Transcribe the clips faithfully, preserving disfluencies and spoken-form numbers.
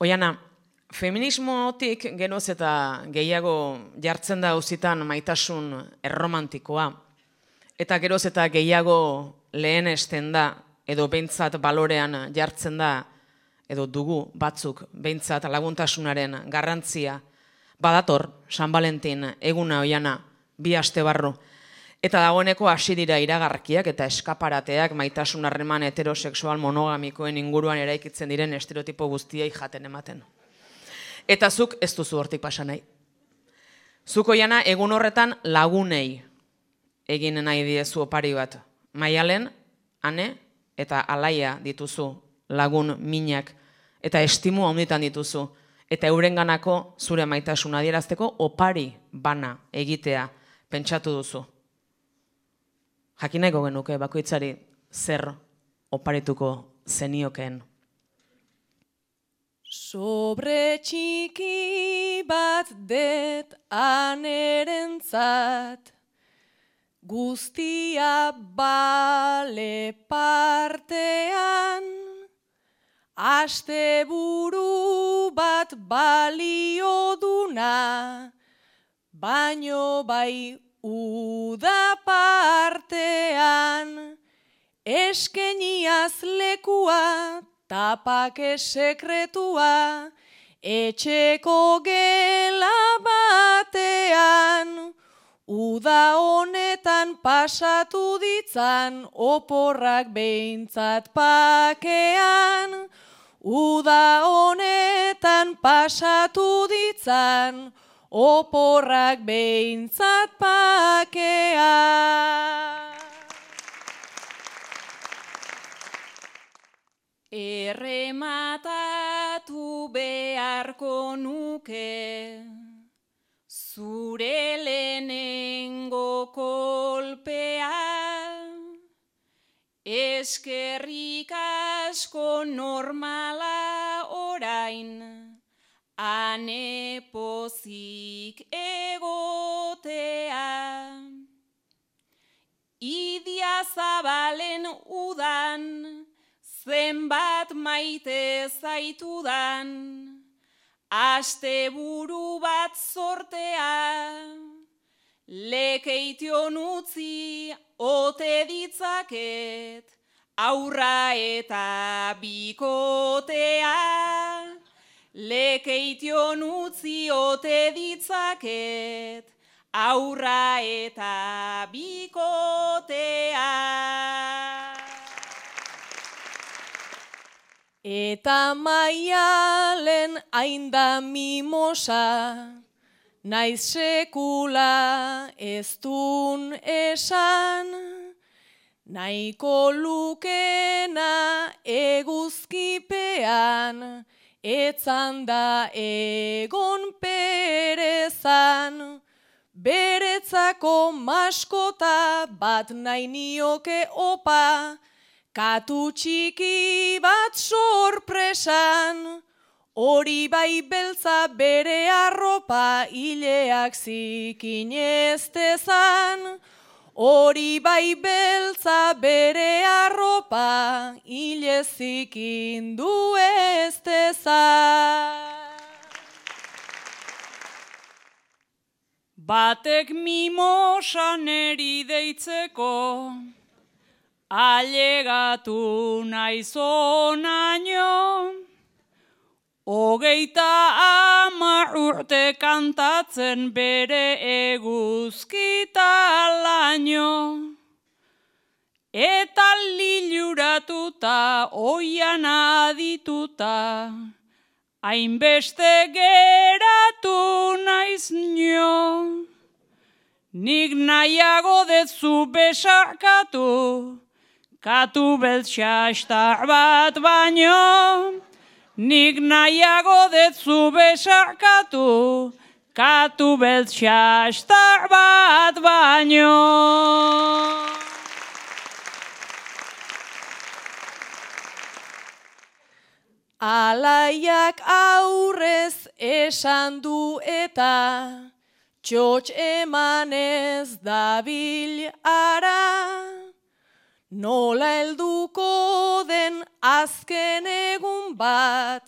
Oiana, feminismotik geroz eta gehiago jartzen da auzitan maitasun erromantikoa, eta geroz eta gehiago lehenesten da, edo behintzat balorean jartzen da, edo dugu batzuk behintzat laguntasunaren garrantzia, badator San Valentin eguna Oiana, bi aste barru, eta dagoeneko hasi dira iragarkiak eta eskaparateak maitasun harreman heterosexual monogamikoen inguruan eraikitzen diren estereotipo guztiei jaten ematen. Eta zuk ez duzu hortik pasa nahi. Zuk Oiana egun horretan lagunei egin nahi diezu opari bat. Maialen, Ane eta Alaia dituzu lagun minak eta estimu handitan dituzu eta eurenganako zure maitasuna adierazteko opari bana egitea pentsatu duzu. Jakin nahiko genuke bakoitzari zer oparituko zeniokeen. Sobre txiki bat det anerentzat, guztia bale partean, asteburu bat balio duna, baino bai uda partean, eskeniaz lekua, tapake sekretua, etxeko gela batean, uda honetan pasatu ditzan, oporrak behintzat pakean, uda honetan pasatu ditzan, oporrak behintzat pakean. Errematatu beharko nuke, zure lehenengo kolpea, eskerrik asko normala orain, ane pozik egotea. Idia Zabalen udan, zenbat maite zaitudan, asteburu bat zortea, lekeition utzi ote ditzaket, aurra eta bikotea, lekeition utzi ote ditzaket, aurra eta bikotea. Eta Maialen hainda mimosa, naiz sekula ez dun esan, nahiko lukena eguzkipean, etzan da egon perezan, beretzako maskota bat nahi nioke opa, katu txiki bat sorpresan, hori bai beltza bere arropa hileak zikin ez dezan, hori bai beltza bere arropa hile zikin du ez dezan. Batek mimosan eri deitzeko, ailegatu naizonaino, hogeita hamar urte kantatzen bere eguzkitalaino, eta liluratuta oian adituta, hainbeste geratu naiz nio, nik nahiago dezu besarkatu, katu beltxastar bat baino, nik nahiago dezu besarkatu, katu beltxastar bat baino. Alaiak aurrez esan du eta, txotx emanez dabil ara, nola helduko den azken egun bat,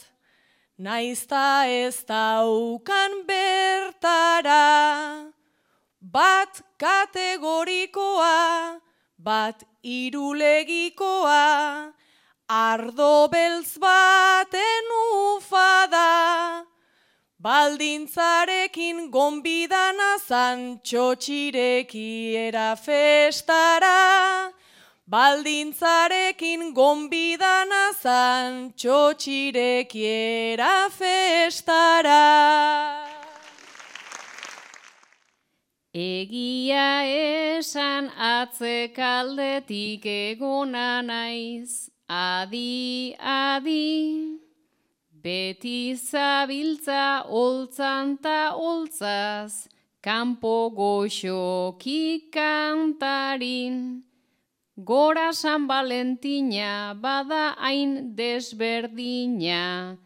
naizta ez daukan bertara, bat kategorikoa, bat irulegikoa, ardo beltz baten ufada, baldintzarekin gonbidana zan txotxirekiera festara, baldintzarekin gonbidana zan txotxirekiera festara. Egia esan atzekaldetik egona naiz, adi, adi, beti zabiltza holtzan ta holtzaz, kanpo goxoki kantarin, gora San Valentina bada hain desberdina,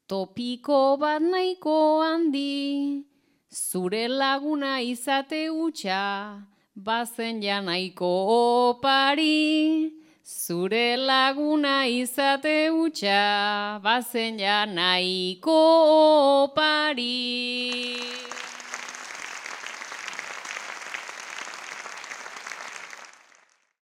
topiko bat nahiko handi, zure laguna izate hutsa, bazen ja nahiko opari. Zure laguna izate hutsa, bazen ja nahiko opari.